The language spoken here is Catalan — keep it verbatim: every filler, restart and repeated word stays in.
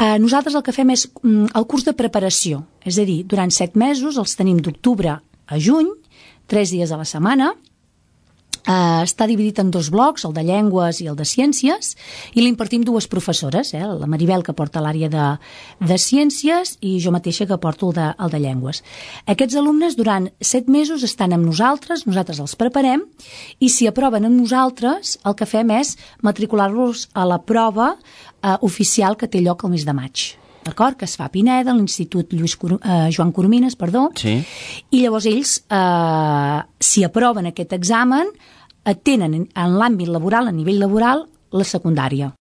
Eh, nosaltres el que fem és mm, el curs de preparació, és a dir, durant set mesos els tenim d'octubre a juny, tres dies a la setmana. Uh, està dividit en dos blocs, el de llengües i el de ciències, i l'impartim dues professores, eh? La Maribel, que porta l'àrea de, de ciències, i jo mateixa, que porto el de, el de llengües. Aquests alumnes durant set mesos estan amb nosaltres, nosaltres els preparem, i si aproven amb nosaltres, el que fem és matricular-los a la prova uh, oficial que té lloc el mes de maig. D'acord? Que es fa a Pineda, a l'Institut Lluís Cor eh, Joan Coromines, perdó. Sí. I llavors ells, eh, si aproven aquest examen, eh, tenen en l'àmbit laboral, a nivell laboral, la secundària.